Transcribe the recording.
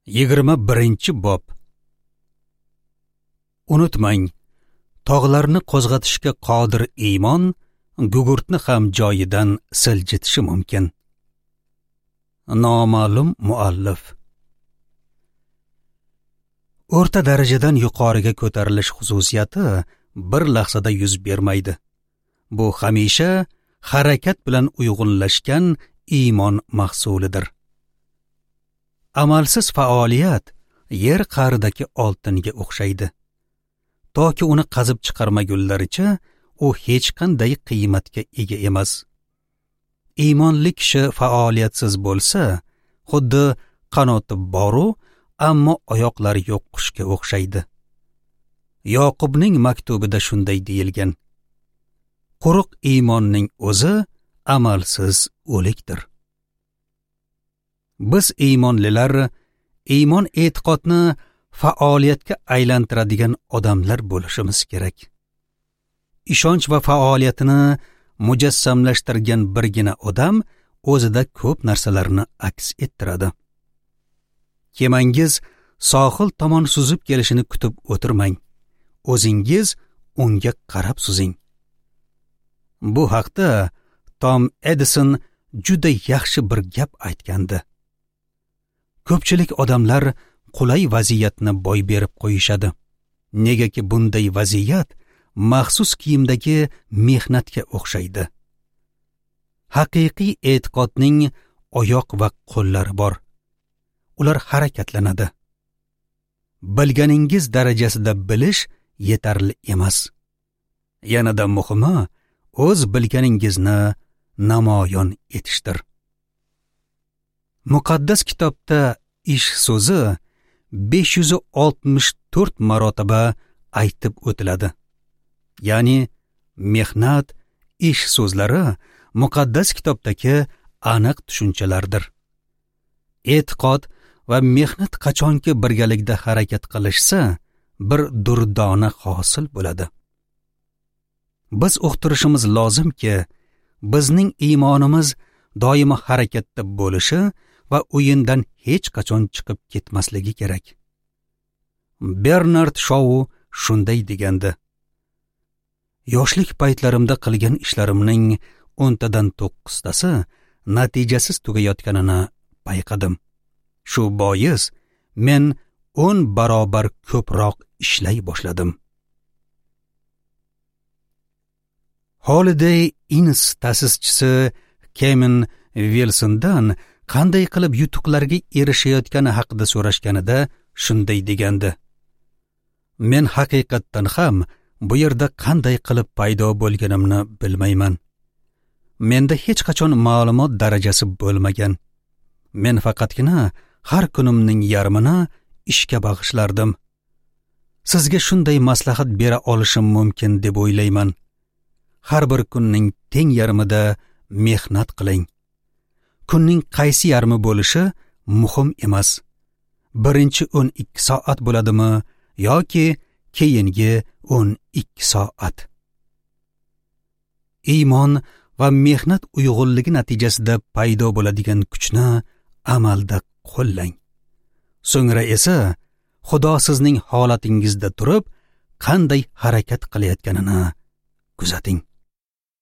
21-bob. Unutmang, tog'larni qo'zg'atishga qodir iymon gugurtni ham joyidan siljitishi mumkin. Noma'lum muallif. O'rta darajadan yuqoriga ko'tarilish xususiyati bir lahzada yuz bermaydi. Bu hamisha harakat bilan uyg'unlashgan iymon mahsulidir. Amalsiz faoliyat yer qa'ridagi oltinga o'xshaydi. Toki uni qazib chiqarmagunlaricha u hech qanday qiymatga ega emas. Iymonli kishi faoliyatsiz bo'lsa, xuddi qanoti boru, ammo oyoqlari yo'q qushga o'xshaydi. Yoqubning maktubida shunday deyilgan: Quruq iymonning o'zi amalsiz o'likdir. Biz iymonlilar iymon e'tiqodni faoliyatga aylantiradigan odamlar bo'lishimiz kerak. Ishonch va faoliyatini mujassamlashtirgan birgina odam o'zida ko'p narsalarni aks ettiradi. Kemangiz sohil tomon suzib kelishini kutib o'tirmang. O'zingiz unga qarab suzing. Bu haqda Tom Edison juda yaxshi bir gap aytgandi. Ko'pchilik odamlar qulay vaziyatni boy berib qo'yishadi. Negaki bunday vaziyat maxsus kiyimdagi mehnatga o'xshaydi. Haqiqiy e'tiqodning oyoq va qo'llari bor. Ular harakatlanadi. Bilganingiz darajasida bilish yetarli emas. Yanada muhimi, o'z bilganingizni namoyon etishdir. Muqaddas kitobda ish so'zi 564 marotaba aytib o'tiladi. Ya'ni mehnat, ish so'zlari muqaddas kitobdagi aniq tushunchalardir. E'tiqod va mehnat qachonki birgalikda harakat qilishsa, bir durdona hosil bo'ladi. Biz uqtirishimiz lozimki, bizning iymonimiz doimo harakatda bo'lishi va o'yindan hech qachon chiqib ketmasligi kerak. Bernard Shou shunday degandi: Yoshlik paytlarimda qilgan ishlarimning 10tadan 9tasi natijasiz tugayotganini payqadim. Shu bois men 10 barobar ko'proq ishlay boshladim. Holiday Inns ta'sischisi Kevin Wilsondan qanday qilib yutuqlarga erishayotgani haqida so'rashganida shunday degandi: Men haqiqatdan ham bu yerda qanday qilib paydo bo'lganimni bilmayman. Menda hech qachon ma'lumot darajasi bo'lmagan. Men faqatgina har kunimning yarmini ishga bag'ishlardim. Sizga shunday maslahat bera olishim mumkin deb o'ylayman. Har bir kunning teng yarmida mehnat qiling. Kunning qaysi yarmi bo'lishi muhim emas. Birinchi 12 soat bo'ladimi yoki keyingi 12 soat. Iymon va mehnat uyg'unligi natijasida paydo bo'ladigan kuchni amalda qo'llang. So'ngra esa Xudo sizning holatingizda turib qanday harakat qilayotganini kuzating.